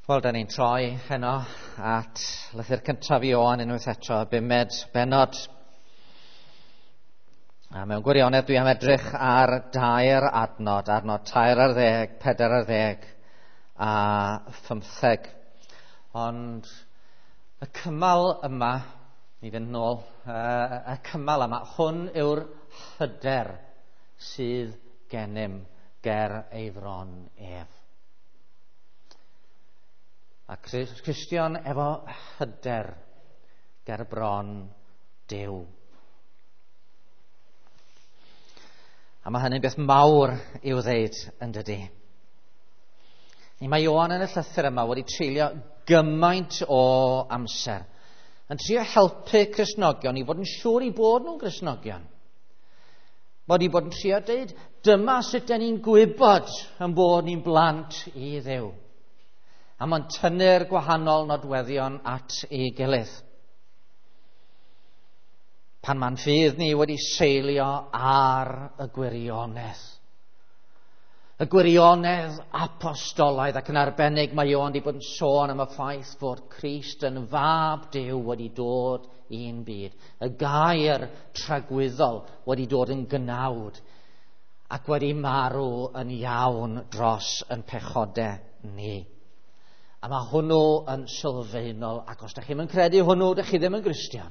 Wel, da ni'n troi heno at lythyr cyntaf Ioan unwaith eto, y bumed bennod. A mewn gwirionedd dwi am edrych ar dair adnod, adnod 13, 14 a 15. Ond y cymal yma, ni fynd nôl, y cymal yma, hwn yw'r hyder sydd gennym ger ei fron ef. A Cristion efo hyder ger bron Duw. A mae hynny'n beth mawr i'w ddeud yn dydy. Mae Ioan yn y llythyr yma wedi treulio gymaint o amser yn trio helpu Cristnogion i fod yn siŵr i bod nhw'n Gristnogion. Bod i bod yn trio deud, dyma sut dan ni'n gwybod yn bod ni'n blant i Dduw. A mae'n tynnu'r gwahanol nodweddion at ei gilydd. Pan mae'n ffydd ni wedi seilio ar y gwirionedd. Y gwirionedd apostolaidd, ac yn arbennig mae Ioan wedi bod yn sôn am y ffaith fod Crist yn fab Duw wedi dod i'n byd. Y gair tragwyddol wedi dod yn gnawd ac wedi marw yn iawn dros yn pechodau ni. A mae hwnnw yn sylfaenol, ac os da chi'm yn credu hwnnw, da chi ddim yn Gristion.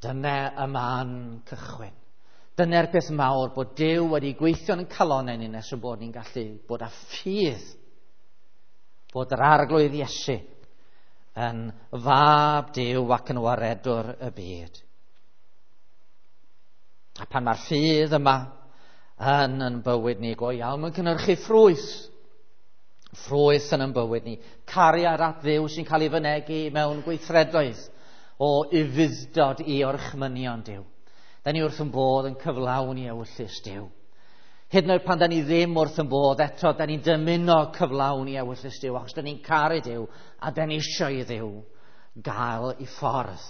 Dyna y man cychwyn. Dyna'r peth mawr bod Duw wedi gweithio yn calonnau ni nes y bod ni'n gallu bod â ffydd bod yr Arglwydd Iesu yn fab Duw ac yn waredwr y byd. A pan mae'r ffydd yma yn bywyd ni go iawn, mae'n cynhyrchu ffrwyth. Ffrwyth yn ein bywyd ni. Cariad at Dduw sy'n cael ei fynegi mewn gweithredoedd o ufudd-dod i orchmynion Duw. Da ni wrth yn bodd yn cyflawni ewyllys Duw. Hyd yn oed pan da ni ddim wrth yn bodd eto, da ni'n dymuno cyflawni ewyllys Duw, achos da ni'n caru Duw a da ni eisiau i Dduw gael ei ffordd.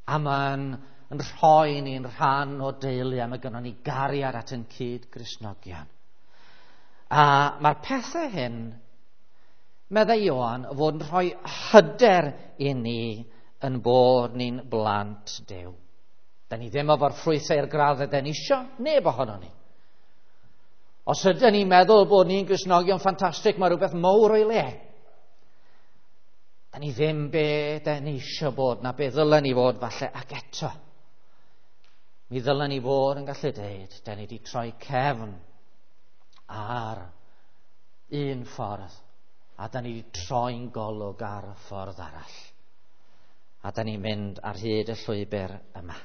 A mae'n yn rhoi ni'n rhan o deulu, a mae gynnon ni gariad at ein cyd-Gristnogion. A mae'r pethau hyn, meddai Ioan, fod yn rhoi hyder i ni yn bod ni'n blant Duw. Da ni ddim efo'r ffrwythau i'r graddau da ni isio, neb ohono ni. Os ydyn ni'n meddwl bod ni'n Gristnogion ffantastig, mae rhywbeth mawr o'i le. Da ni ddim be da ni isio bod, na be ddylen ni fod falle, ac eto. Mi ddylen ni fod yn gallu deud, da ni wedi troi cefn ar un ffordd, a da ni wedi troi'n golwg ar y ffordd arall. A da ni'n mynd ar hyd y llwybr yma.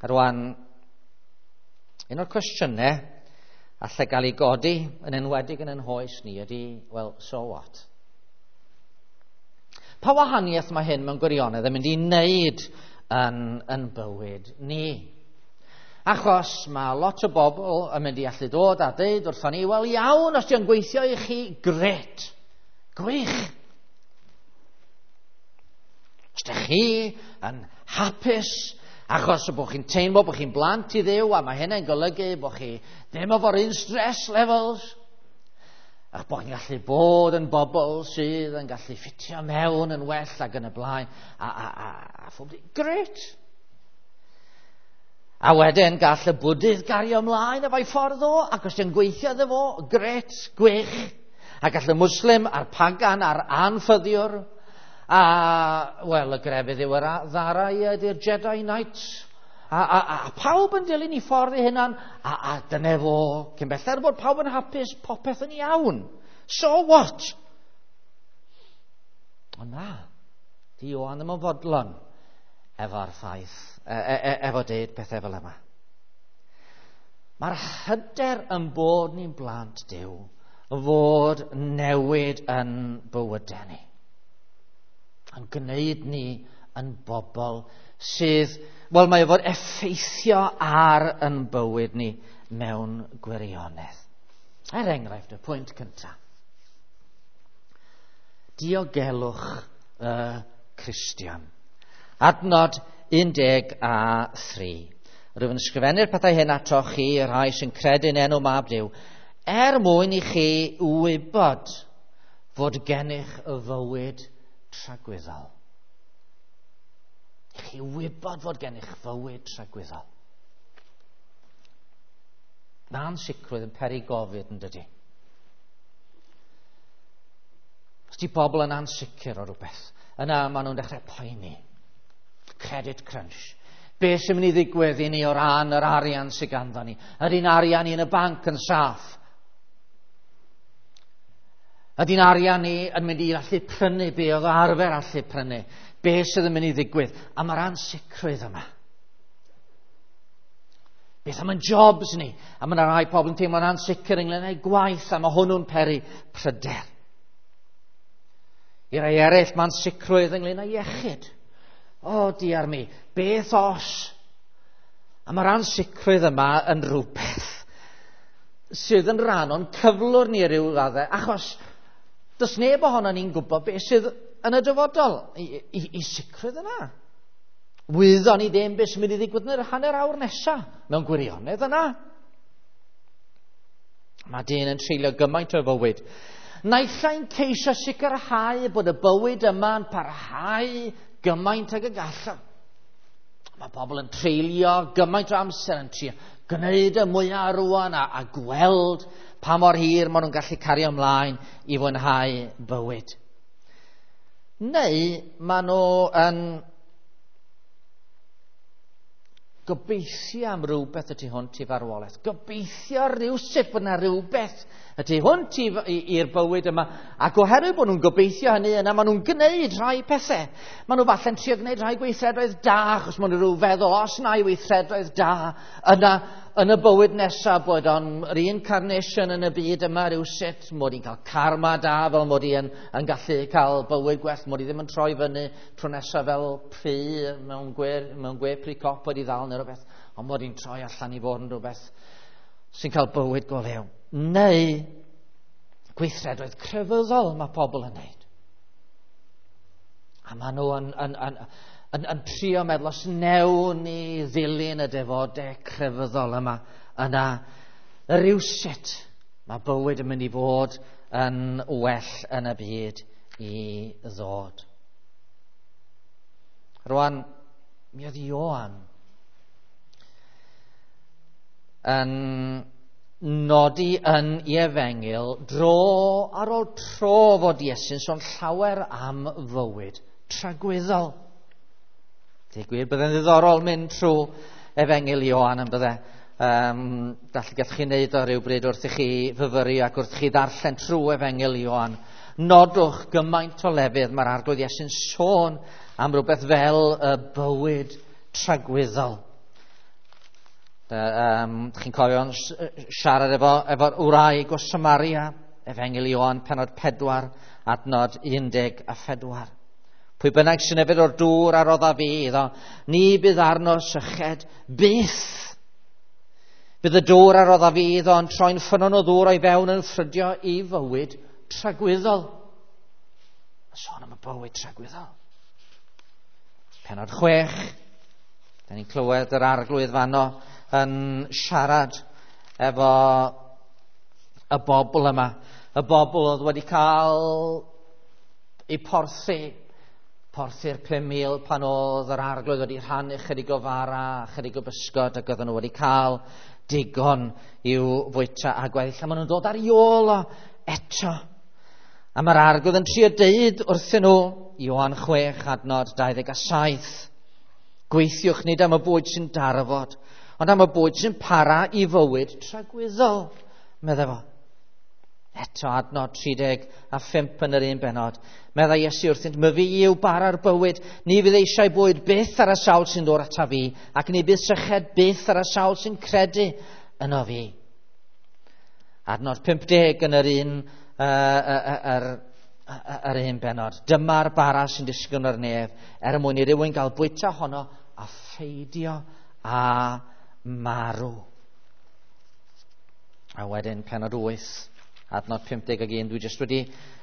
A rwan, un o'r cwestiynau allai gael ei godi yn enwedig yn ein hoes ni ydy, well, so what? Pa wahaniaeth mae hyn mewn gwirionedd yn mynd i wneud yn bywyd ni? Achos mae lot o bobl yn mynd i allu dod a deud wrthon ni, wel iawn, os di'n gweithio i chi, gret, gwych. Os ydych chi yn hapus, achos bod chi'n teimlo bod chi'n blant i Dduw, a mae hynny'n golygu bod chi ddim efo'r un stress levels, ac bod chi'n gallu bod yn bobl sydd yn gallu ffitio mewn yn well ac yn y blaen, a phob dim, gret. A wedyn gall y Bwdydd gario ymlaen efo'i ffordd o, ac os di'n gweithio iddo fo, gret, gwych. A gall y Muslim a'r pagan a'r anffyddiwr, a, wel, y grefydd yw yr ddara ydy'r Jedi Knights, a pawb yn dilyn ei ffordd ei hunan, a dyna fo, cyn belled bod pawb yn hapus, popeth yn iawn. So what? O na, di Ioan ddim yn fodlon efo'r ffaith, efo deud pethau fel yma. Mae'r hyder yn bod ni'n blant Duw fod newid yn bywydau ni. Yn gwneud ni yn bobl sydd, wel, mae o fod effeithio ar yn bywyd ni mewn gwirionedd. Er enghraifft, y pwynt cyntaf. Diogelwch y Cristion. Adnod 13. Rwyf yn ysgrifennu'r pethau hyn atoch chi, y rhai sy'n credu'n enw mab Duw, Er mwyn i chi wybod fod gennych y fywyd tragwyddol. I chi wybod fod gennych fywyd tragwyddol. Mae ansicrwydd yn peri gofid, yn dydy? Os di bobl yn ansicr o rhywbeth, yna maen nhw'n dechrau poeni. Credit crunch. Be sy'n mynd i ddigwydd i ni o ran yr arian sydd ganddo ni? Ydy'n arian ni yn y banc yn saff? Ydy'n arian ni yn mynd i allu prynu be oedd arfer allu prynu? Be sydd yn mynd i ddigwydd? A mae'r ansicrwydd yma. Beth am yn jobs ni? A mae yna rai pobl yn teimlo'n ansicr ynglyn â'u gwaith, a mae hwnnw'n peri pryder. I rai eraill, mae'n sicrwydd ynglyn â iechyd. O, diar mi, beth os? A mae'r ansicrwydd yma yn rhywbeth sydd yn rhan o'n cyflwr ni ryw raddau, achos does neb ohono ni'n gwybod beth sydd yn y dyfodol i sicrwydd yna. Wyddon ni ddim beth sy'n mynd i ddigwydd yn yr hanner awr nesaf mewn gwirionedd yna. Mae dyn yn treulio gymaint o fywyd. Naill ai'n ceisio sicrhau bod y bywyd yma'n parhau gymaint ag y gallaf. Mae pobl yn treulio gymaint o amser yn trio gwneud y mwyaf rwan a gweld pa mor hir maen nhw'n gallu cario ymlaen i fwynhau bywyd. Neu maen nhw yn gobeithio am rhywbeth y tu hwnt i farwolaeth. Gobeithio rhywsut bod yna rhywbeth y tu hwnt i'r bywyd yma. Ac oherwydd bod nhw'n gobeithio hynny yna, maen nhw'n gwneud rhai pethau. Maen nhw falle'n trio gwneud rhai gweithredoedd da, achos maen nhw rhyw feddwl, os na i weithredoedd da, yna yn y bywyd nesaf bod o'n reincarnation yn y byd yma rhywsut, mod i'n cael karma da, fel mod i yn gallu cael bywyd gwell, mod i ddim yn troi fyny tro nesaf fel pry mewn gwe pry cop wedi ddal neu rhywbeth, ond mod i'n troi allan i fod yn rhywbeth sy'n cael bywyd go lew. Neu gweithredoedd crefyddol mae pobl yn wneud. A maen nhw yn trio meddwl, os newn ni ddilyn y defodau crefyddol yma, yna rywsut mae bywyd yn mynd i fod yn well yn y byd i ddod. Rwan, mi oedd Ioan yn nodi yn ei efengyl dro ar ôl tro fod Iesu'n sôn llawer am fywyd tragwyddol. Dweud gwir, byddai'n ddiddorol mynd trwy efengyl Ioan yn bydde. Gallwch chi wneud o rywbryd wrth i chi fyfyru ac wrth i chi ddarllen trwy efengyl Ioan. Nodwch gymaint o lefydd mae'r Arglwydd Iesu'n sôn am rhywbeth fel y bywyd tragwyddol. Chi'n cofio siarad efo'r wraig o Samaria, efengyl Ioan, penod 4, adnod 14. Pwy bynnag sy'n yfed o'r dŵr a rodda fi iddo, ni bydd arno syched byth. Bydd y dŵr a rodda fi iddo yn troi'n ffynnon o ddŵr o'i fewn yn ffrydio i fywyd tragwyddol. Sôn am y bywyd tragwyddol. Penod 6, da ni'n clywed yr Arglwydd fanno yn siarad efo y bobl yma. Y bobl oedd wedi cael eu porthi'r 5,000 pan oedd yr Arglwydd wedi rhannu chydig o fara, chydig o bysgod, ac oedden nhw wedi cael digon i'w fwyta a gweddill. A maen nhw'n dod ar ei ôl o eto. A mae'r Arglwydd yn trio deud wrthyn nhw, Ioan 6, adnod 27, gweithiwch nid am y bwyd sy'n darfod, ond am y bwyd sy'n para i fywyd tragwyddol, meddai fo. Eto adnod 35 yn yr un benod. Meddai Iesu wrthynt, myfi yw bara'r bywyd, ni fydd eisiau bwyd byth ar y sawl sy'n dod ata fi, ac ni bydd syched byth ar y sawl sy'n credu yno fi. Adnod 50 yn yr un, yr un benod. Dyma'r bara sy'n disgyn o'r nef, er mwyn i rywun gael bwyta honno a pheidio a marw. A wedyn penod 8, adnod 51, dwi jyst wedi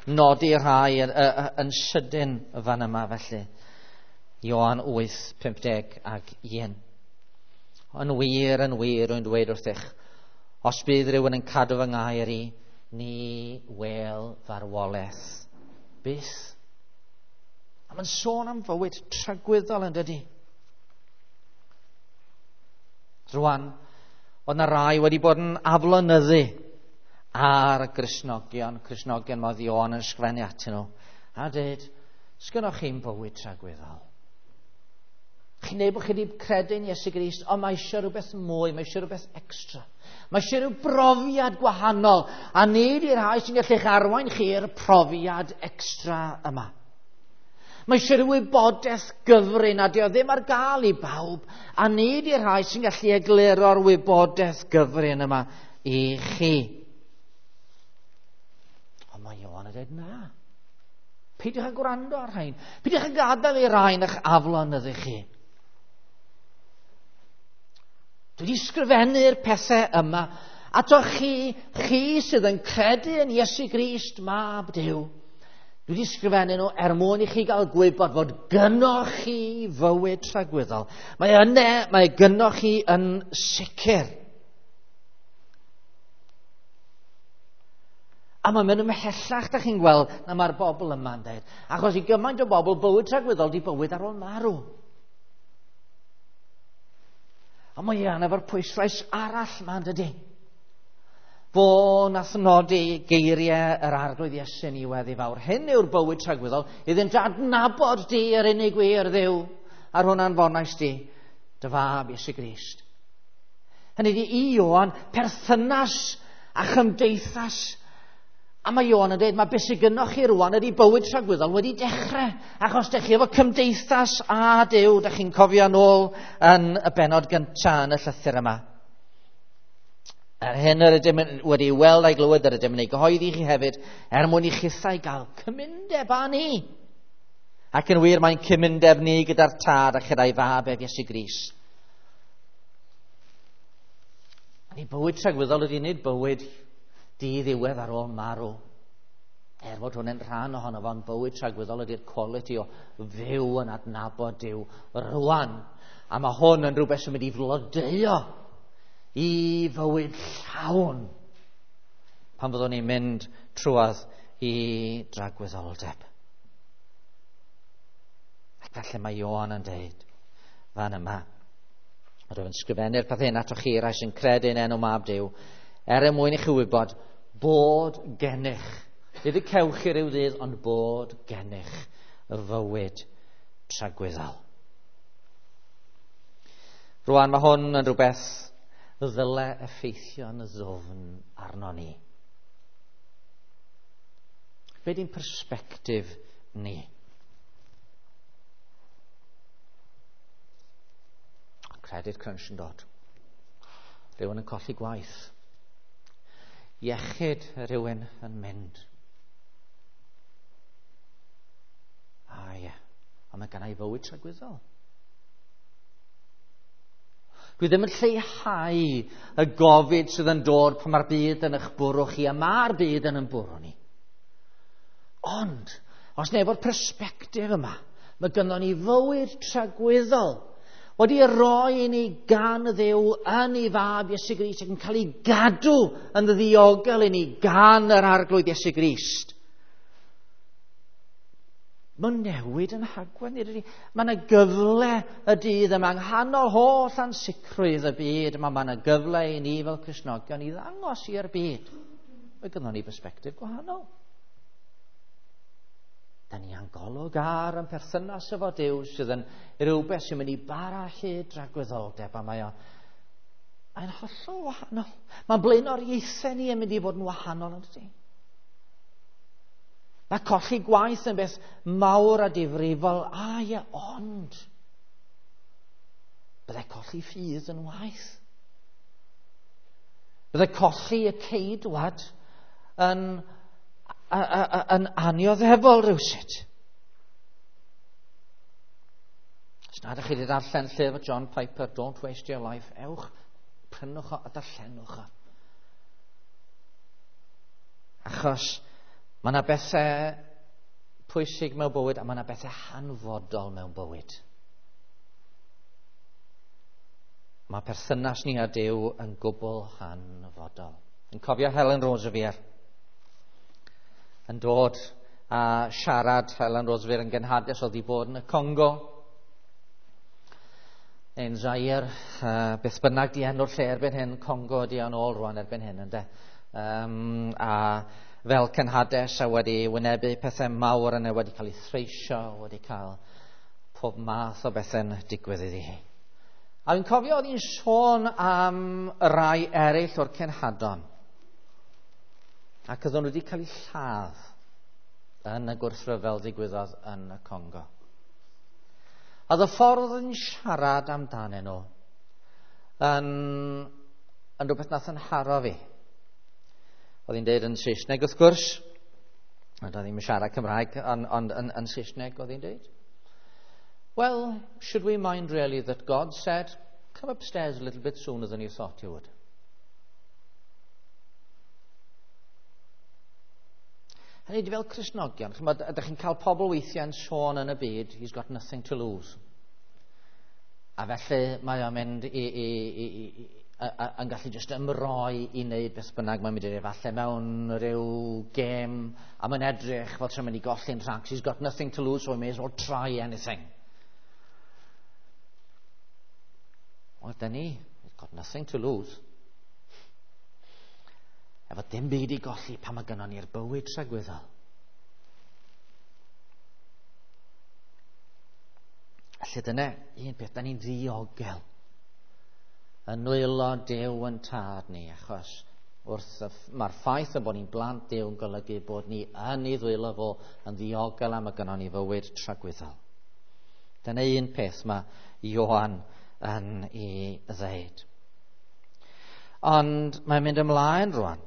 nodi rhai yn sydyn fan yma felly. Ioan 8, 51. Yn wir, rwy'n dweud wrthych, Os bydd rhywun yn cadw fy ngair i, ni wel farwolaeth byth. A mae'n sôn am fywyd tragwyddol yn dydy. Rwan, oedd na rai wedi bod yn aflonyddu ar y Gristnogion, Cristnogion mae Ioan yn ysgrifennu atyn nhw, a dweud, sgynnoch chi'n bywyd tragwyddol? Chi'n dweud bod chi wedi credu yn Iesu Grist, ond mae eisiau rhywbeth mwy, mae eisiau rhywbeth extra. Mae eisiau rhyw brofiad gwahanol, a nid i'r rhai sy'n gallu'ch arwain chi i'r profiad extra yma. Mae eisiau rhyw wybodaeth gyfrin a dio ddim ar gael i bawb, a nid i'r rhai sy'n gallu egluro'r wybodaeth gyfrin yma i chi. Ond mae Ioan yn dweud na. Peidiwch â gwrando ar rhain. Peidiwch â gadael i rhain eich aflonyddu chi. Dwi wedi sgrifennu'r pethau yma ato chi, chi sydd yn credu yn Iesu Grist, Mab Duw. Dwi wedi sgrifennu nhw er mwyn i chi gael gwybod fod gynnoch chi fywyd tragwyddol. Mae yna, mae gynnoch chi yn sicr. A mae'n mynd ymhellach, da chi'n gweld, na mae'r bobl yma'n dweud. Achos i gymaint o bobl, bywyd tragwyddol di bywyd ar ôl marw. A mae Ian efo'r pwyslais arall ma'n dydy. Fo nath nodi geiriau yr Arglwydd Iesu yn ei weddi fawr. Hyn yw'r bywyd tragwyddol, iddynt adnabod di yr unig wir Dduw, a'r hwnna'n fonais di, dy fab Iesu Grist. Hynny ydi i Ioan, perthynas a chymdeithas. A mae Ioan yn dweud, mae beth sydd gynnoch chi rwan ydi bywyd tragwyddol wedi dechrau, achos dych chi efo cymdeithas a Duw, dych chi'n cofio nôl yn y bennod gyntaf yn y llythyr yma. Er hyn yr ydym wedi weld a'i glywed, yr ydym yn ei gyhoeddi chi hefyd, er mwyn i chithau gael cymundeb â ni. Ac yn wir, mae'n cymundeb ni gyda'r Tad a chyda'i fab ef Iesu Grist. Ni bywyd tragwyddol ydy nid bywyd diddiwedd ar ôl marw. Er fod hwn yn rhan ohono fo'n bywyd tragwyddol ydy'r quality o fyw yn adnabod Duw rwan. A mae hwn yn rhywbeth sy'n mynd i flodeuo i fywyd llawn pan fyddwn ni'n mynd trwadd i dragwyddoldeb. Ac felly mae Ioan yn dweud fan yma. Rwy'n sgrifennu'r peth hyn atoch chi rai sy'n credu yn enw Mab Duw, er mwyn i chi wybod bod gennych, nid y cewch chi ryw ddydd, ond bod gennych y fywyd tragwyddol. Rwan mae hwn yn rhywbeth ddyle effeithio'n ddwfn arno ni. Be di'n persbectif ni? Credit crunch yn dod. Rhywun yn colli gwaith. Iechyd rhywun yn mynd. A ie, ond mae gennai fywyd tragwyddol. Dwi ddim yn lleihau y gofid sydd yn dod pan mae'r byd yn eich bwrw chi, a mae'r byd yn ein bwrw ni. Ond, os neu efo'r persbectif yma, mae gynnon ni fywyd tragwyddol wedi roi i ni gan Dduw yn ei fab Iesu Grist ac yn cael ei gadw yn ddiogel i ni gan yr Arglwydd Iesu Grist. Mae'n newid yn hagwedd ni. Mae yna gyfle y dydd yma, yng nghanol holl ansicrwydd y byd yma, mae yna gyfle i ni fel Cristnogion i ddangos i'r byd. Mae gynnon ni bersbectif gwahanol. Da ni yn golwg ar yn perthynas efo Duw sydd yn rhywbeth sy'n mynd i bara hyd dragwyddoldeb, a mae mae'n hollol wahanol. Mae'n blaenoriaethau ni yn mynd i fod yn wahanol yn dydy. Mae colli gwaith yn beth mawr a difrifol, a ie, ond byddai colli ffydd yn waith. Byddai colli y ceidwad yn annioddefol rhywsut. Os nad ydych chi wedi darllen llyfr John Piper, Don't Waste Your Life, ewch, prynwch o a darllenwch o. Achos mae yna bethau pwysig mewn bywyd a mae yna bethau hanfodol mewn bywyd. Mae perthynas ni â Duw yn gwbl hanfodol. Yn cofio Helen Roseveare yn dod a siarad. Helen Roseveare yn genhades oedd i bod yn y Congo neu'n Zaire, beth bynnag di enw'r lle erbyn hyn, Congo ydi o'n ôl rwan erbyn hyn, ynde. A fel cenhades a wedi wynebu pethau mawr yna, wedi cael ei threisio, wedi cael pob math o bethau'n digwydd iddi hi. A fi'n cofio oedd hi'n sôn am rai eraill o'r cenhadon, ac oedden nhw wedi cael eu lladd yn y gwrthryfel ddigwyddodd yn y Congo. A oedd y ffordd yn siarad amdanyn nhw yn rhywbeth nath yn haro fi. Oedd hi'n deud yn Saesneg wrth gwrs, ond oedd hi'n siarad Cymraeg, ond yn Saesneg oedd hi'n deud. Well, should we mind really that God said, come upstairs a little bit sooner than you thought you would? Hynny ydi, fel Cristnogion, ch'mod, ydych chi'n cael pobl weithiau yn sôn yn y byd, he's got nothing to lose. A felly mae o'n mynd yn gallu just ymroi i wneud beth bynnag mae'n mynd i wneud, falle mewn rhyw gêm, a mae'n edrych fel tra'n mynd i golli'n rhacs, he's got nothing to lose, so he may as well try anything. Wel, dyn ni, he's got nothing to lose. Efo dim byd i golli pan mae gynnon ni'r bywyd tragwyddol. Felly dyna un peth, da ni'n ddiogel yn nwylo Duw yn tad ni, achos mae'r ffaith yn bod ni'n blant Duw yn golygu bod ni yn ei ddwylo fo yn ddiogel am y gynnon ni fywyd tragwyddol. Dyna un peth mae Ioan yn ei ddeud. Ond mae'n mynd ymlaen rwan,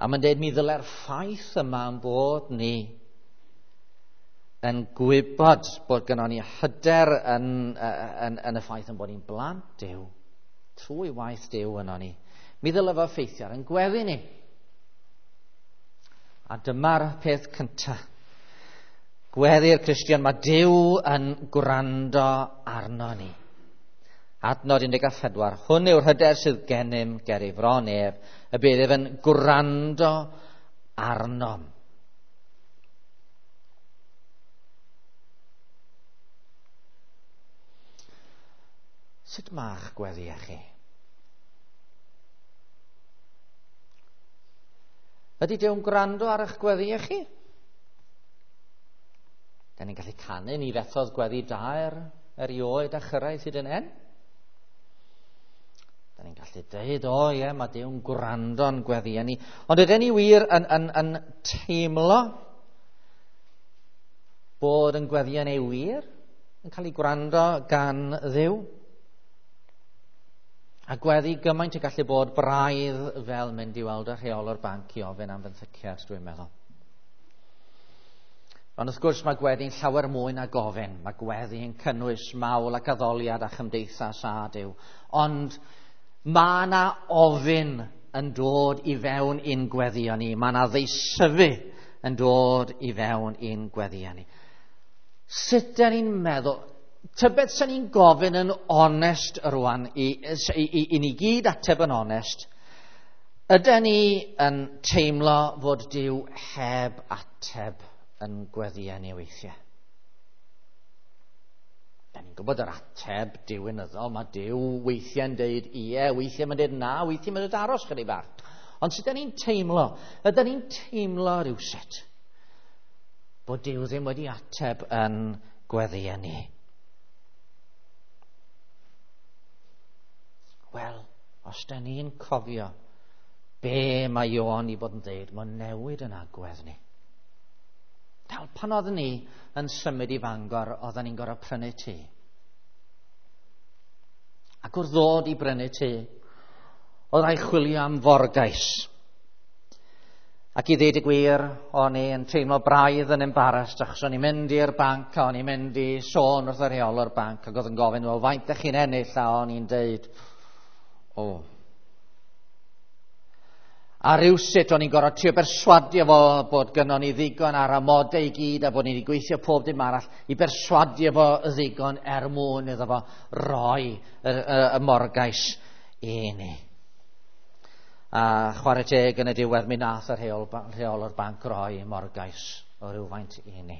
a mae'n deud mi ddyle'r ffaith yma yn bod ni yn gwybod bod gynnon ni hyder yn y ffaith yn bod ni'n blant Duw, trwy waith Duw yno ni. Mi ddyle fo effeithio ar ein gweddi ni. A dyma'r peth cyntaf. Gweddi'r Cristion, mae Duw yn gwrando arno ni. Adnod 14. Hwn yw'r hyder sydd gennym ger ei fron ef, y bydd ef yn gwrando arnom. Sut ma'ch gweddi chi? Ydy Duw'n gwrando ar eich gweddi chi? Da ni'n gallu canu, ni fethodd gweddi daer erioed a chyrraedd hyd yn hyn. Da ni'n gallu deud, o ie, mae Duw'n gwrando'n gweddi ni. Ond ydyn ni wir yn teimlo bod yn gweddi ni wir yn cael ei gwrando gan Dduw? A gweddi gymaint y gallu bod braidd fel mynd i weld y rheolwr banc i ofyn am fenthyciad, dwi'n meddwl. Ond wrth gwrs mae gweddi'n llawer mwy na gofyn. Mae gweddi'n cynnwys mawl ac addoliad a chymdeithas a Duw. Ond mae yna ofyn yn dod i fewn i'n gweddio ni. Mae yna ddeisyfu yn dod i fewn i'n gweddio ni. Sut dan ni'n meddwl? Tybed sy'n ni'n gofyn yn onest rwan, i ni gyd ateb yn onest, ydyn ni yn teimlo fod Duw heb ateb yn gweddio ni weithiau? Da ni'n gwybod yr ateb diwinyddol, mae Duw weithiau'n deud ie, weithiau mae'n deud na, weithiau mae'n deud aros chydig bach. Ond sut ydyn ni'n teimlo? Ydyn ni'n teimlo rhywsut bod Duw ddim wedi ateb yn gweddio ni? Wel, os da ni'n cofio be mae Ioan i bod yn deud, mae'n newid yn agwedd ni. Fel pan oeddwn ni yn symud i Fangor, oedden ni'n gorfod prynu tŷ. Ac wrth ddod i brynu tŷ, oedd rhaid chwilio am forgais. Ac i ddeud y gwir, o'n i yn teimlo braidd yn embarrassed, achos o'n i'n mynd i'r banc a o'n i'n mynd i sôn wrth y rheolwr banc, ac oedd yn gofyn, wel, faint ydych chi'n ennill? A o'n i'n deud, o. A rywsut o'n i'n gorfod trio berswadio fo bod gynnon ni ddigon ar amodau i gyd a bod ni wedi gweithio pob dim arall i berswadio fo ddigon er mwyn iddo fo roi y morgais i ni. A chwarae teg yn y diwedd mi nath y rheolwr banc roi morgais o rywfaint i ni.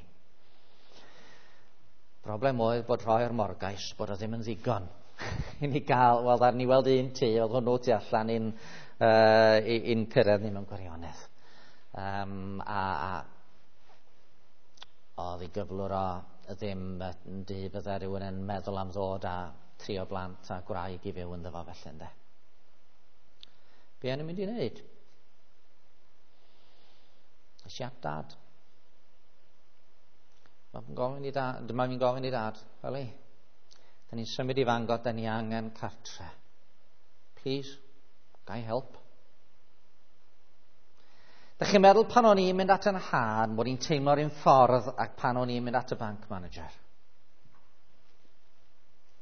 Broblem oedd bod rhoi'r morgais bod o ddim yn ddigon i ni gael, wel, ddaru ni weld un tŷ, oedd hwnnw tu allan i'n cyrraedd ni mewn gwirionedd. A oedd ei gyflwr o ddim yn dŷ bydde rhywun yn meddwl am ddod â 3 o blant a gwraig i fyw ynddo fo felly, ynde. Be o'n i'n mynd i wneud? Es i at dad. Mae'n gofyn i dad, dyma fi'n gofyn i dad, fel i. Da ni'n symud i Fangor, da ni angen cartre. Please, ga i help? Da chi'n meddwl pan o'n i'n mynd at yn nhad, bod i'n teimlo'r un ffordd ac pan o'n i'n mynd at y bank manager?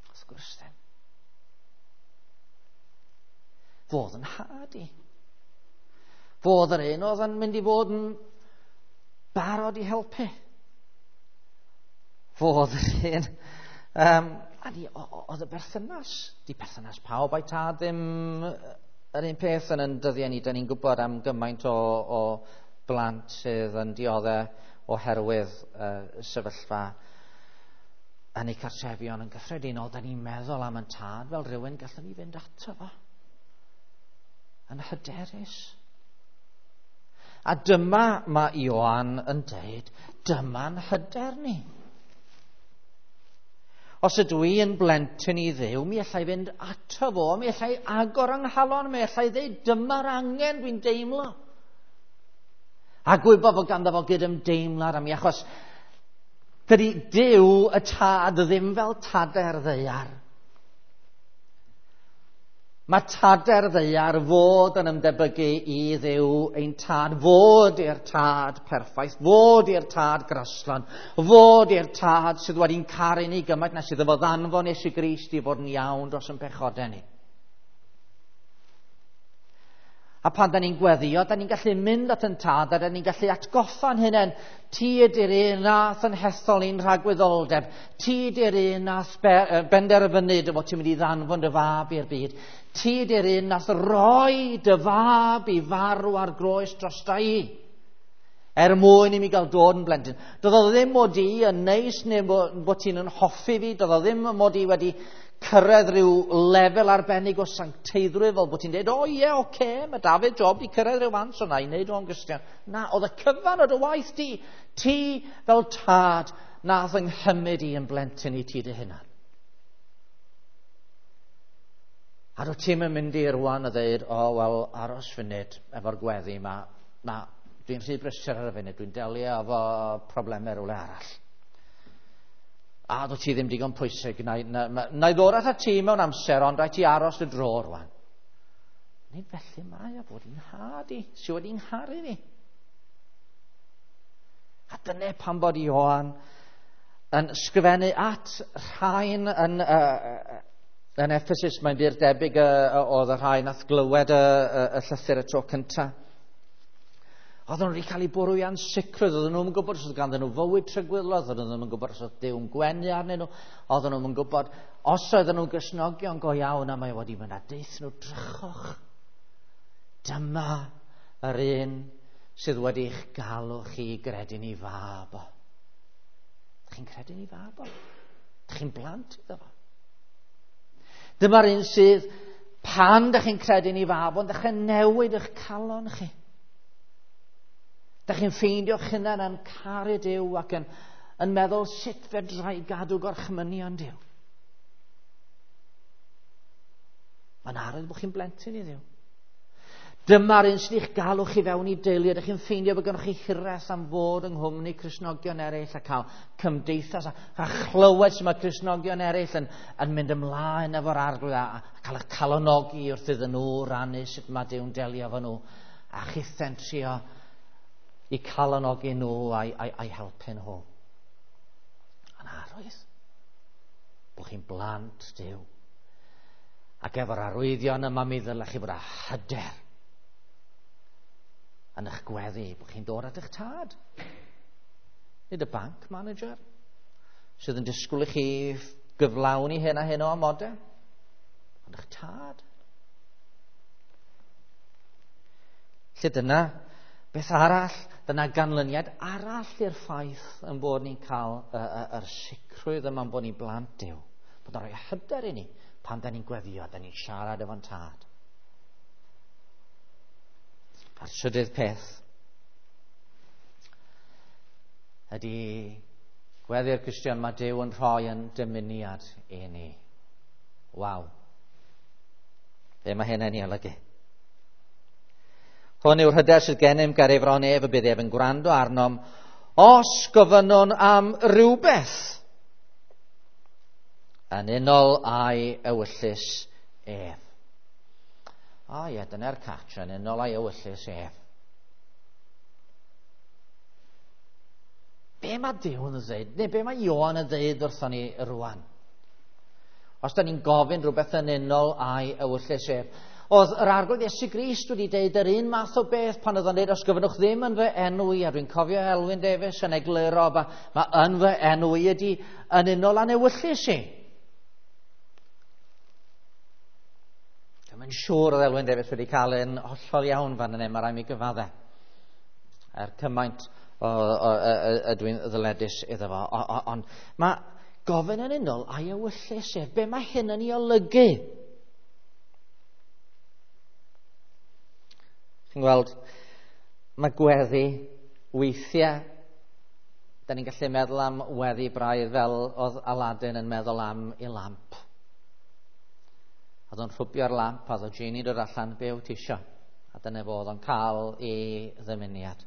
Wrth gwrs ddim. Fodd yn nhad i. Fodd yr un oedd yn mynd i fod yn barod i helpu. Fodd yr un. A ni, oedd y berthynas, di perthynas pawb a'i tad ddim yr un peth yn dyddiau ni. Da ni'n gwybod am gymaint o blant sydd yn dioddef oherwydd sefyllfa yn eu cartrefion yn gyffredinol. Da ni'n meddwl am yn tad fel rhywun gallwn ni fynd ato fo yn hyderus. A dyma mae Ioan yn deud, dyma'n hyder ni. Os ydw i yn blentyn i Dduw, mi allai fynd ato fo, mi allai agor yng nghalon, mi allai ddeud, dyma'r angen dwi'n deimlo. A gwybod fod ganddo fo gydymdeimlad am mi, achos dydy Duw y tad ddim fel tadau'r ddaear. Mae tadau'r ddaear fod yn ymdebygu i Dduw ein tad, fod i'r tad perffaith, fod i'r tad graslon, fod i'r tad sydd wedi'n caru ni gymaint nes iddo fo ddanfon Iesu Grist i fod yn iawn dros ein pechodau ni. A pan da ni'n gweddio, da ni'n gallu mynd at yn tad, a da ni'n gallu atgoffa'n hunain, ti ydy'r un nath yn hethol i'n rhagwyddoldeb, ti ydy'r un nath benderfynu dy fod ti'n mynd i ddanfon dy fab i'r byd, ti ydy'r un nath roi dy fab i farw ar groes drosta i, er mwyn i mi gael dod yn blentyn. Doedd o ddim mod i yn neis neu bod ti'n yn hoffi fi, doedd o ddim mod i wedi cyrraedd rhyw lefel arbennig o sancteiddrwydd fel bod ti'n dweud, o ie, oce, mae Dafydd Job di cyrraedd rhyw fan, so na i wneud o'n Gristion. Na, oedd y cyfan o dy waith di, ti fel tad, nath yng nghymryd i yn blentyn i ti dy hunan. A dwi ti'n mynd i rwan a dweud, o, wel, aros funud efo'r gweddi yma, na, dwi'n rhy brysur ar y funud, dwi'n delio efo problemau rhywle arall. A dwi ti ddim digon pwysig, na i ddod at ti mewn amser, ond rhaid ti aros y dro rwan. Nid felly mae o fod i'n nhad i, sydd wedi'n ngharu fi. A dyna pan bod Ioan yn sgrifennu at rhain yn Ephesus, mae'n bur debyg oedd y rhai nath glywed y llythyr y tro cyntaf. Oedden nhw wedi cael eu bwrw i ansicrwydd, oedden nhw'n gwybod os oedd ganddyn nhw fywyd tragwyddol, oedden nhw ddim yn gwybod os oedd Duw'n gwenu arnyn nhw, oedden nhw'n gwybod os oedden nhw'n Gristnogion go iawn, a mae wedi mynd a deuthyn nhw, drychwch. Dyma yr un sydd wedi'ch galw chi i gredu'n ei fab o. Dych chi'n credu'n ei fab o? Dych chi'n blant iddo fo? Dyma'r un sydd, pan dych chi'n credu'n ei fab o'n dechrau newid eich calon chi. Dych chi'n ffeindio'ch hunan yn caru Duw ac yn meddwl sut fedra i gadw gorchmynion Duw. Mae'n arwydd bod chi'n blentyn i Dduw. Dyma'r un sydd eich galw chi fewn i deulu. Ydych chi'n ffeindio bod gennych chi hiraeth am fod yng nghwmni Cristnogion eraill a cael cymdeithas a chlywed sut mae Cristnogion eraill yn mynd ymlaen efo'r Arglwydd a cael eich calonogi wrth iddyn nhw rannu sut mae Duw'n delio efo nhw a chithen trio i calonogi nhw a'i helpu nhw. Yn arwydd bod chi'n blant Duw. Ac efo'r arwyddion yma mi ddylech chi fod â hyder. Yn eich gweddi, bod chi'n dod at eich tad. Nid y bank manager sydd yn disgwyl i chi gyflawni hyn a hyn o amodau, ond eich tad. Lle dyna beth arall, dyna ganlyniad arall i'r ffaith yn bod ni'n cael yr sicrwydd yma'n bod ni'n blant Duw. Bod o'n rhoi hyder i ni pan da ni'n gweddio, da ni'n siarad efo'n tad. A'r trydydd peth ydy gweddi'r Cristion, mae Duw yn rhoi yn dymuniad i ni. Waw. Be mae hyn yn ei olygu? Hwn yw'r hyder sydd gennym ger ei fron ef, y bydd ef yn gwrando arnom os gofynnwn am rywbeth yn unol â'i ewyllys ef. O ie, dyna'r catch, yn unol â'i ewyllys ef. Be mae Duw yn dweud, neu be mae Ioan yn dweud wrthon ni rwan? Os da ni'n gofyn rhywbeth yn unol â'i ewyllys ef. Oedd yr Arglwydd Iesu Grist wedi deud yr un math o beth pan oedd o'n deud, os gofynnwch ddim yn fy enw i, a dwi'n cofio Elwyn Davies yn egluro, mae yn fy enw i ydy yn unol â'n ewyllys i. Dwi'n siŵr oedd Elwyn Davies wedi cael yn hollol iawn fan yna, mae rhaid mi gyfadde. Er cymaint ydw i'n ddyledus iddo fo. Ond mae gofyn yn unol a'i ewyllys ef. Be mae hyn yn ei olygu? Chi'n gweld, mae gweddi weithiau, da ni'n gallu meddwl am weddi braidd fel oedd Aladdin yn meddwl am ei lamp. Oedd o'n rhwbio'r lamp, a oedd o genie'n dod allan, be wyt ti isio? A dyna fo oedd o'n cael ei ddymuniad.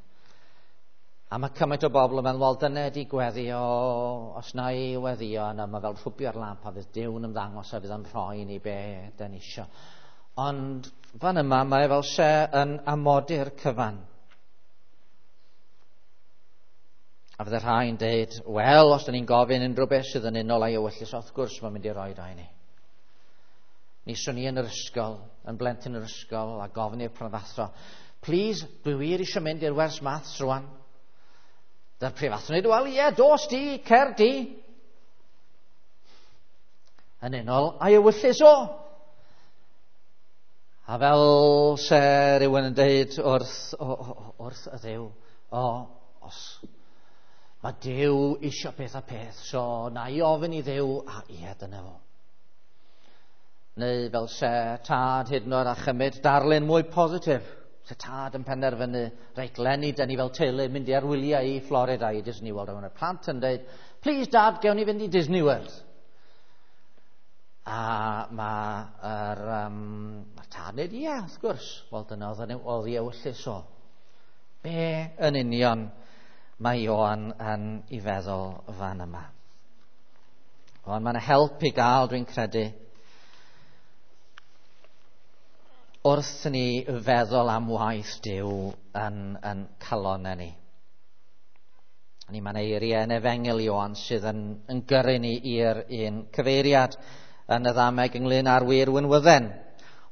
A mae cymaint o bobl yn meddwl, wel, dyna ydi gweddi, o, os na i weddio, yna mae fel rhwbio'r lamp a fydd Duw'n ymddangos a fydd o'n rhoi ni be da ni isio. Ond fan yma mae fel se yn amodi'r cyfan. A fydde rhai'n deud, wel, os da ni'n gofyn unrhyw beth sydd yn unol â'i ewyllys, wrth gwrs mae'n mynd i roi o i ni. Mi swn i yn yr ysgol, yn blentyn yr ysgol, a gofyn i'r prifathro, please, dwi wir eisiau mynd i'r wers maths rwan. Dy'r prifathro'n dweud, wel, ie, dos di, cer di. Yn unol â'i ewyllys o. A fel se rhywun yn deud wrth y Dduw, o, os mae Duw isio peth a peth, so na i ofyn i Dduw, a ie, dyna fo. Neu fel se tad hyd yn oed a chymryd darlun mwy positif. Se tad yn penderfynu, reit, leni, da ni fel teulu mynd i ar wyliau i Florida i Disney World. A mae'r plant yn deud, please dad, gewn ni fynd i Disney World. A mae'r ma tad yn dweud, ie, wrth gwrs. Wel, dyna oedd ei ewyllys o. Be yn union mae Ioan yn ei feddwl fan yma? Ond mae'n help i gael, dwi'n credu, wrth ni feddwl am waith Duw yn calonau ni. Ni mae'n eiriau yn Efengyl Ioan sydd yn gyrru ni i'r un cyfeiriad yn y ddameg ynglyn â'r wir winwydden.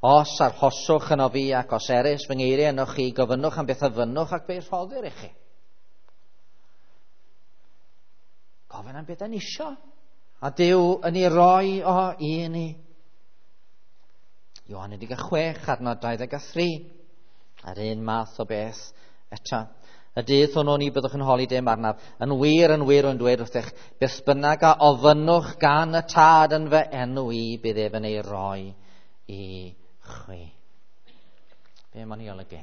Os arhoswch yno fi ac os erys fy ngeiriau yno chi, gofynnwch am beth a fynnwch ac fe rhoddir i chi. Gofyn am beth yn isio. A Duw yn ei roi o i ni. Ioan 16, adnod 23. A'r un math o beth eto. Y dydd hwnnw ni byddwch yn holi dim arnaf. Yn wir, yn wir, yn dweud wrthych, beth bynnag a ofynnwch gan y tad yn fy enw i, bydd ef yn ei roi i chwi. Be mae'n ei olygu?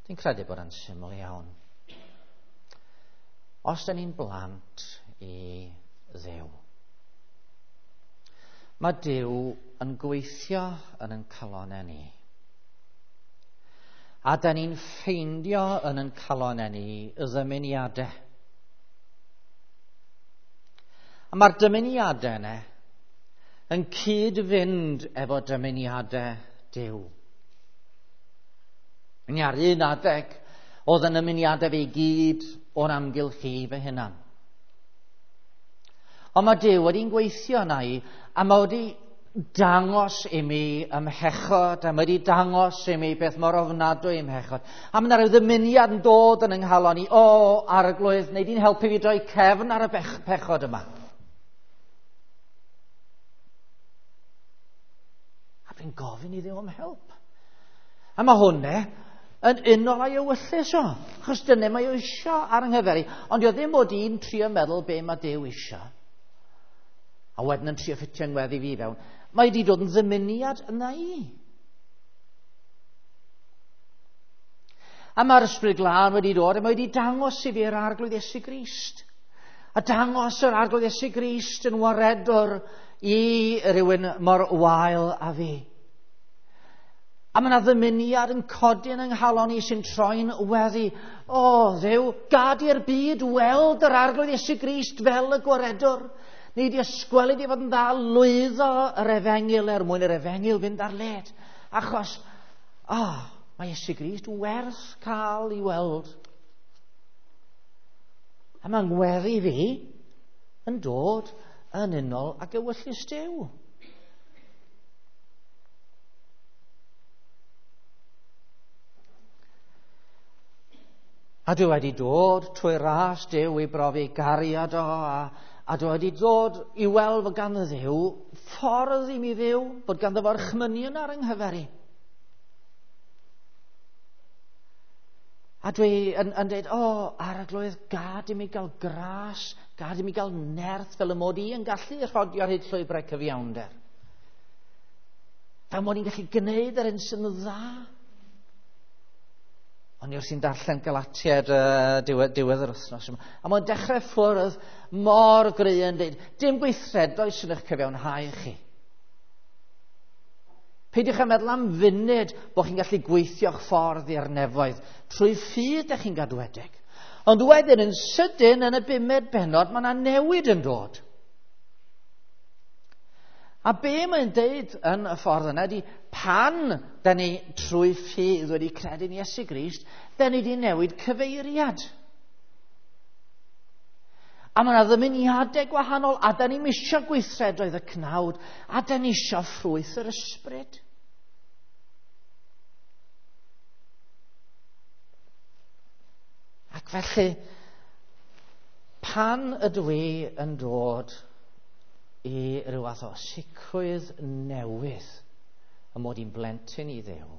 Dwi'n credu bod yn syml iawn. Os da ni'n blant i Dduw, mae Duw yn gweithio yn ein calonau ni. A da ni'n ffeindio yn ein calonau ni y ddymuniadau. A mae'r dymuniadau yna yn cyd-fynd efo dymuniadau Duw. Ni ar un adeg, oedd yn ymuniadau fe i gyd o'n amgylch i fy hunan. Ond mae Duw wedi'n gweithio yna i, a mae wedi dangos i mi ymhechod, a mae wedi dangos i mi beth mor ofnadwy ymhechod. A mae yna rhyw ddymuniad yn dod yn yng nghalon i, o, Arglwydd, neu di'n helpu fi droi cefn ar y pechod yma. A dwi'n gofyn i Dduw am help. A mae hwnna yn unol â'i ewyllys o, achos dyna mae o isio ar yng nghyfer i. Ond dio ddim bod i'n trio meddwl be mae Duw isio, a wedyn yn trio ffitio ngweddi fi fewn. Mae wedi dod yn ddymuniad yna i. A mae'r Ysbryd Glân wedi dod a mae wedi dangos i fi yr Arglwydd Iesu Grist. A dangos yr Arglwydd Iesu Grist yn waredwr i rywun mor wael a fi. A mae yna ddymuniad yn codi yn yng nghalon i sy'n troi'n weddi. O, Dduw, gad i'r byd weld yr Arglwydd Iesu Grist fel y gwaredwr. Ni wedi ysgwelyd i fod yn dda lwyddo yr efengyl er mwyn yr efengyl fynd ar led. Achos, mae Iesu Grist werth cael i weld. A mae'n ngweddi fi yn dod yn unol ag ewyllys Duw. A dwi wedi dod trwy ras Duw i brofi gariad o, a dwi wedi dod i weld fod gan Dduw ffordd i mi fyw, bod ganddo fo orchmynion ar yng nghyfer i. A dwi yn dweud, o, Arglwydd, gad i mi gael gras, gad i mi gael nerth fel y mod i yn gallu rhodio ar hyd llwybrau cyfiawnder. Fel mod i'n gallu gwneud yr hyn sy'n dda. O'n i wrthi'n darllen Galatiaid diwedd yr wythnos yma. A mae'n dechrau ffwrdd mor gry yn dweud, dim gweithredoedd sy'n eich cyfiawnhau chi. Peidiwch â meddwl am funud bod chi'n gallu gweithio'ch ffordd i'r nefoedd. Trwy ffydd ydych chi'n gadwedig. Ond wedyn yn sydyn yn y bumed bennod mae yna newid yn dod. A be mae'n deud yn y ffordd yna ydy pan da ni trwy ffydd wedi credu'n Iesu Grist, da ni wedi newid cyfeiriad. A mae yna ddymuniadau gwahanol, a da ni'n isio gweithredoedd y cnawd, a da ni isio ffrwyth yr ysbryd. Ac felly, pan ydw i yn dod i ryw fath o sicrwydd newydd y mod i'n blentyn i Dduw,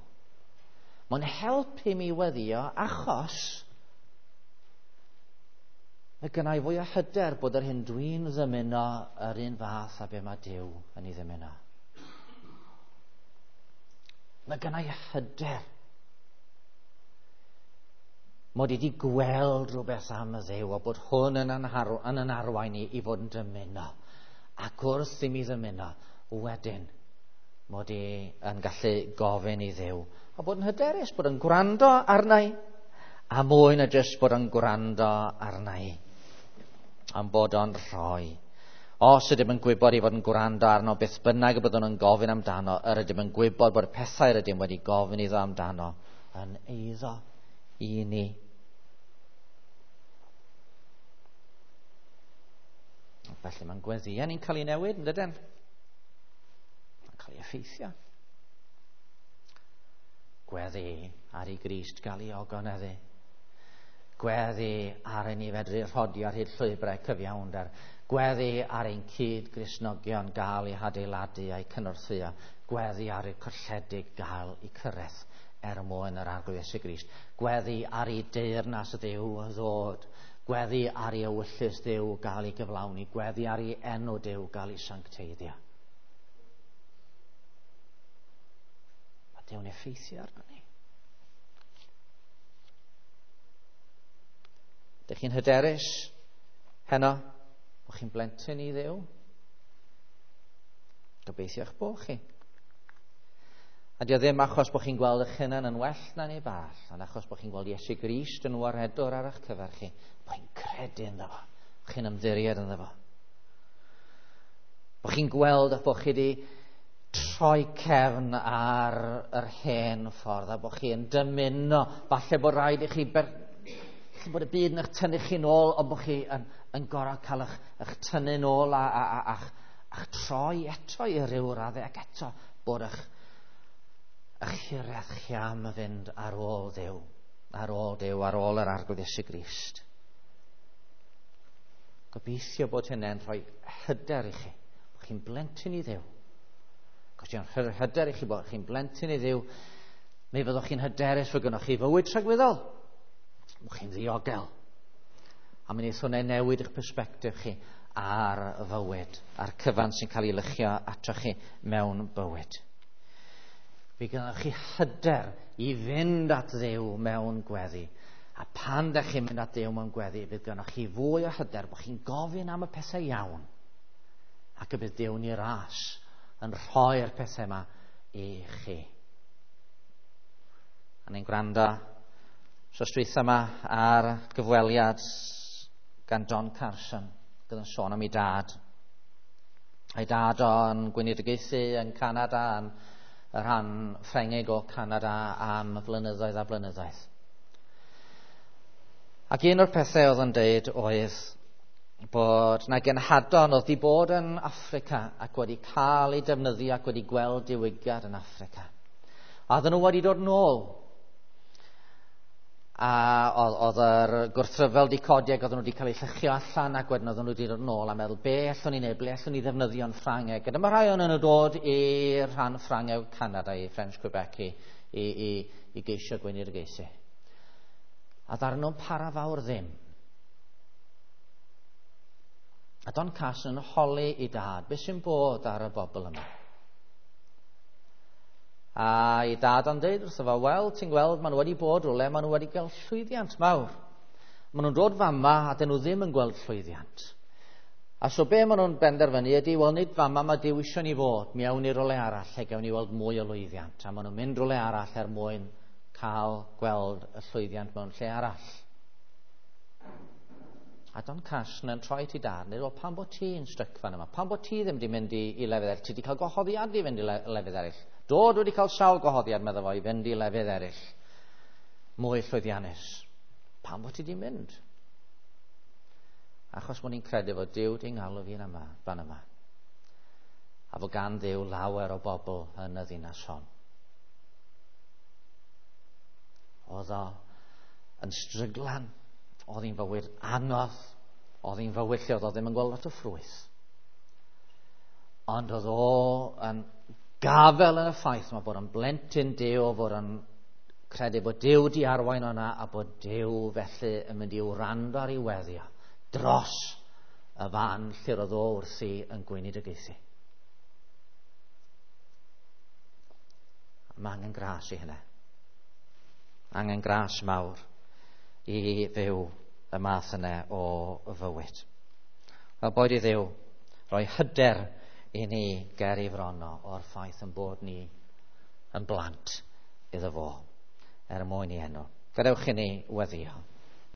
mae'n helpu mi weddio achos mae gynna i fwy o hyder bod yr hyn dwi'n ddymuno yr un fath a be mae Duw yn ei ddymuno. Mae gynna i hyder mod i wedi gweld rhywbeth am y Dduw a bod hwn yn yn arwain i i fod yn dymuno. Ac wrth i mi ddymuno, wedyn, mod i yn gallu gofyn i Dduw. A bod yn hyderus, bod yn gwrando arna i. A mwy na jyst bod yn gwrando arna i. Am bod o'n rhoi. Os ydym yn gwybod i fod yn gwrando arno beth bynnag y byddwn yn gofyn amdano, yr ydym yn gwybod bod y pethau yr ydym wedi gofyn iddo amdano yn eiddo i ni. Felly mae'n gweddïau ni'n cael ei newid, yn dydyn? Mae'n cael ei effeithio. Gweddi ar i Grist gael ei ogoneddu. Gweddi ar i ni fedru rhodio ar hyd llwybrau cyfiawnder. Gweddi ar ein cyd Gristnogion gael eu hadeiladu a'u cynorthwyo. Gweddi ar eu colledig gael eu cyrraedd er mwyn yr Arglwydd Iesu Grist. Gweddi ar ei deyrnas Dduw ddod. Gweddi ar ei ewyllys Dduw gael ei gyflawni. Gweddi ar ei enw Duw gael ei sancteiddio. Mae Duw'n effeithio arno ni. Dych chi'n hyderus heno bod chi'n blentyn i Dduw? Gobeithio'ch bod chi. A dio ddim achos bod chi'n gweld eich hunan yn well na neb arall, ond achos bod chi'n gweld Iesu Grist yn waredwr ar eich cyfer chi, bod chi'n credu ynddo fo, bod chi'n ymddiried ynddo fo. Bod chi'n gweld eich bod chi wedi troi cefn ar yr hen ffordd, a bod chi'n dymuno, falle bod rhaid i chi, falle bod y byd yn eich tynnu chi'n ôl, ond bod chi yn gorfod cael eich tynnu'n ôl A'ch troi eto i ryw raddau ac eto bod eich hiraeth chi am fynd ar ôl Dduw, ar ôl Duw, ar ôl yr Arglwydd Iesu Grist. Gobeithio bod hynny'n rhoi hyder i chi, bod chi'n blentyn i Dduw. Os yw'n rhoi hyder i chi bod chi'n blentyn i Dduw, mi fyddwch chi'n hyderus fod gynnwch chi fywyd tragwyddol. Bod chi'n ddiogel. A mi wneith hwnna newid eich persbectif chi ar fywyd, a'r cyfan sy'n cael ei lychio atoch chi mewn bywyd. Fe gynnoch chi hyder i fynd at Dduw mewn gweddi. A pan ydych chi'n mynd at Dduw mewn gweddi, fydd gynnoch chi fwy o hyder bod chi'n gofyn am y pethau iawn, ac y bydd Duw'n ei ras yn rhoi'r pethau yma i chi. A ni'n gwrando wsos dwytha yma ar gyfweliad gan Don Carson, gyda'n sôn am ei dad. Ei dad o'n gweinidogaethu yn Canada, yn y rhan Ffrengig o Canada am flynyddoedd a blynyddoedd. Ac un o'r pethau oedd yn deud oedd bod na genhadon oedd wedi bod yn Affrica ac wedi cael eu defnyddio ac wedi gweld diwygiad yn Affrica. A oedden nhw wedi dod nôl. A oedd yr gwrthryfel wedi codi ac oedden nhw wedi cael eu llychio allan, ac wedyn oedden nhw wedi dod nôl a meddwl, be allwn ni wneud, ble allwn ni ddefnyddio'n Ffrangeg. A dyma rhai o'n nhw'n dod i'r rhan Ffrangeg o Canada, i French Quebec, i geisio gweinidogaethu. A ddaru nhw'n para fawr ddim. A Don Carson yn holi i dad, beth sy'n bod ar y bobl yma? A i dad o'n deud wrtho fo, wel, ti'n gweld, maen nhw wedi bod rhywle, maen nhw wedi cael llwyddiant mawr. Maen nhw'n dod fama a dyn nhw ddim yn gweld llwyddiant. A so be maen nhw'n benderfynu ydy, wel, nid fama mae Duw isio ni fod, mi awn ni rywle arall lle gawn ni weld mwy o lwyddiant. A maen nhw'n mynd rywle arall er mwyn cael gweld y llwyddiant mewn lle arall. A Don Carson yn troi ti dad, neu wel, pam bod ti'n styc fan yma? Pam bod ti ddim wedi mynd i lefydd eraill? Ti wedi cael gwahoddiad i fynd i lefydd eraill. Dod wedi cael sawl gwahoddiad, meddwl fo, i fynd i lefydd eraill. Mwy llwyddiannus. Pam bod ti wedi mynd? Achos bod ni'n credu fod Duw di'n galw fi'n yma, fan yma. A fod gan Dduw lawer o bobl yn y ddinas hon. Oedd o yn stryglan. Oedd hi'n fywyd anodd, oedd hi'n fywyd lle oedd o ddim yn gweld lot o ffrwyth. Ond oedd o yn gafel yn y ffaith yma bod yn blentyn Duw, fod yn credu bod Duw di arwain o'na a bod Duw felly yn mynd i wrando ar ei weddio dros y fan lle roedd o wrthi yn gweinidogaethu. Mae angen gras i hynny. Angen gras mawr i fyw y math yna o fywyd. Wel, boed i Dduw roi hyder i ni ger ei fron o o'r ffaith yn bod ni yn blant iddo fo, er mwyn i enw. Gadewch i ni weddio.